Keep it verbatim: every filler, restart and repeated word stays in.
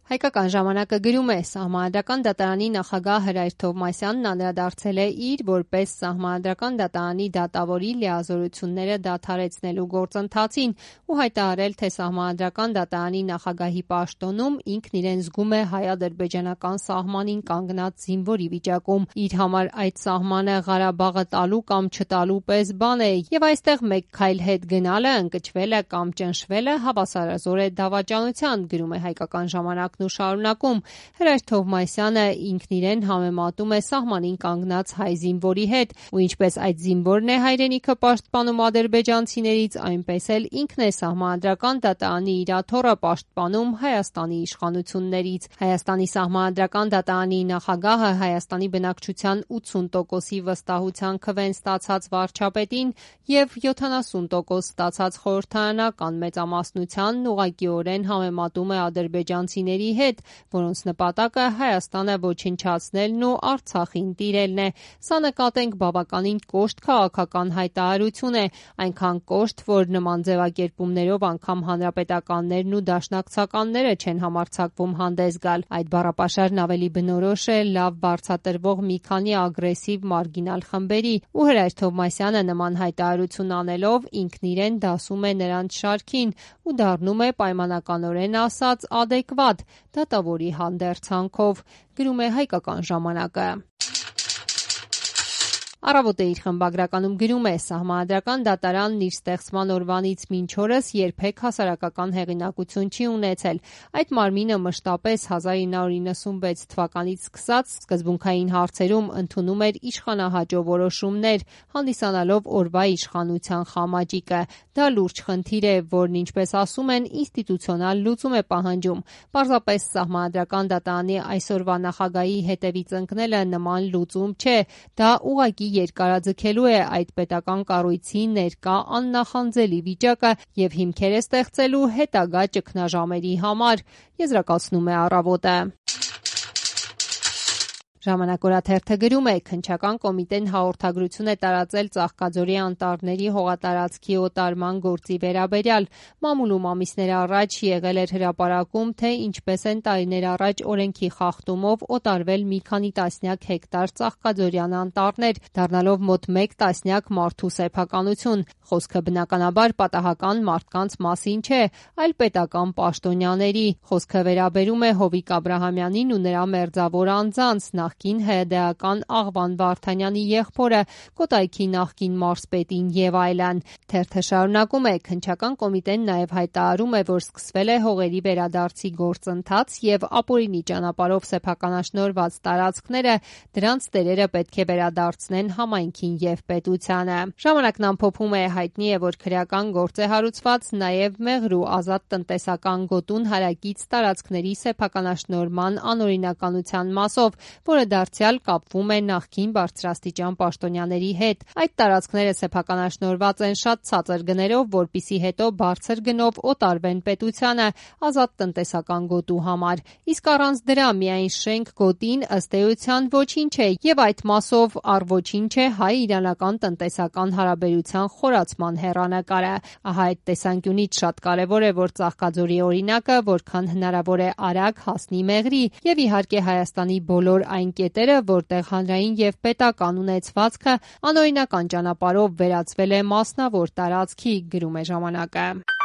Հայկական ժամանակը գրում է, Սահմանադրական դատարանի նախագահ Հրայր Թովմասյանն անդրադարձել է իր որպես Սահմանադրական դատարանի դատավորի լիազորությունները դադարեցնելու գործընթացին ու հայտարարել, թե Սահմանադրական դատարանի նախագահի պաշտոնում ինքն իրեն զգում է հայ-ադրբեջանական սահմանին կանգնած զինվորի վիճակում։ Իր համար այդ սահմանը Ղարաբաղը տալու կամ չտալու պես բան է, եւ այստեղ մեկ քայլ հետ գնալը, ընկճվելը կամ ճնշվելը հավասարազոր է դավաճանության, գրում է Հայկական ժամանակ ու շարունակում. Հրայր Թովմասյանը ինքն իրեն համեմատում է սահմանին կանգնած հայ զինվորի հետ, ու ինչպես այդ զինվորն է հայրենիքը պաշտպանում ադրբեջանցիներից, այնպես էլ ինքն է Սահմանադրական դատարանի իր աթոռը պաշտպանում Հայաստանի իշխանություններից։ Հայաստանի Սահմանադրական դատարանի նախագահը Հայաստանի բնակչության ութսուն տոկոսի վստահության քվեն ստացած վարչապետին եւ յոթանասուն տոկոս ստացած խորհրդարանական մեծամասնությանն ուղղակիորեն համեմատում է ադրբեջանցիների հետ, որոնց նպատակը Հայաստանը ոչնչացնելն ու Արցախին տիրելն է։ Սա նկատենք բավականին կոշտ քաղաքական հայտարարություն է, այնքան կոշտ, որ նման ձևակերպումներով անգամ հանրապետականներն ու դաշնակցականները չեն համարձակվում հանդես գալ։ Այդ բառապաշարն ավելի բնորոշ է լավ բարձրատրվող մի քանի ագրեսիվ մարգինալ խմբերի, ու Հրայր Թովմասյանը նման հայտարարություն անելով ինքն իրեն դասում է նրանց շարքին ու դառնում է պայմանականորեն ասած adekvat դատավորի հանդերձանքով, գրում է Հայկական ժամանակը։ Առավոտը իր խմբագրականում գրում է. Սահմանադրական դատարանն իր ստեղծման օրվանից մինչ օրս երբեք հասարակական հեղինակություն չի ունեցել։ Այդ մարմինը մշտապես հազար ինը հարյուր իննսունվեց թվականից սկսած սկզբունքային հարցերում ընդունում էր իշխանահաճո որոշումներ, հանդիսանալով օրվա իշխանության խամաճիկը։ Դա լուրջ խնդիր է, որն, ինչպես ասում են, ինստիտուցիոնալ լուծում է պահանջում։ Պարզապես Սահմանադրական դատարանի այսօրվա նախագահի հետևից ընկնելը նման լուծում չէ, դա ուղղակի երկարաձգելու է այդ պետական կառույցի ներկա աննախանձելի վիճակը եւ հիմքեր է ստեղծելու հետագա ճգնաժամերի համար, եզրակացնում է Առավոտը։ Ժամանակ օրաթերթը գրում է. Քննչական կոմիտեն հաղորդագրություն է տարածել Ծաղկաձորի անտառների հողատարածքի օտարման գործի վերաբերյալ։ Մամուլում ամիսներ առաջ եղել էր հրապարակում, թե ինչպես են տարիներ առաջ օրենքի խախտումով օտարվել մի քանի տասնյակ հեկտար ծաղկաձորյան անտառներ, դառնալով մոտ մեկ տասնյակ մարդու սեփականություն։ Խոսքը բնականաբար պատահական մարդկանց մասին չէ, այլ պետական պաշտոնյաների։ Խոսքը վերաբերում է Հովիկ Աբրահամյանին ու նրա մերձավոր անձանց, նախկին ՀԴ-ական Աղվան Վարդանյանի եղբորը, Կոտայքի նախկին մարզպետին եւ այլն։ Թերթը շարունակում է. Քննչական կոմիտեն նաեւ հայտարարում է, որ սկսվել է հողերի վերադարձի գործընթաց եւ ապօրինի ճանապարհով սեփականաշնորհված տարածքները դրանց տերերը պետք է վերադարձնեն համայնքին եւ պետությանը։ Ժամանակն ամփոփում է. հայտնի է, որ քրեական գործ է հարուցված նաեւ Մեղրու ազատ տնտեսական գոտուն հարակից տարածքների սեփականաշնորհման անօրինականության մասով, որը դարձյալ կապվում է նախկին բարձրաստիճան պաշտոնյաների հետ։ Այդ տարածքները սեփականաշնորհված են շատ ցածր գներով, որպիսի հետո բարձր գնով օտարվեն պետությանը ազատ տնտեսական գոտու համար։ Իսկ առանց դրա միայն շենք գոտին ըստ էության ոչինչ է եւ այդ մասով առ ոչինչ է հայ-իրանական տնտեսական հարաբերության խորացման հեռանկարը։ Ահա այդ տեսանկյունից շատ կարեւոր է, որ Ծաղկաձորի օրինակը որքան հնարավոր է արագ հասնի Մեղրի եւ իհարկե Հայաստանի բոլոր այն կետերը, որտեղ հանրային եւ պետական ունեցվածքը անօրինական ճանապարհով վերածվել է մասնավոր տարածքի, գրում է ժամանակը։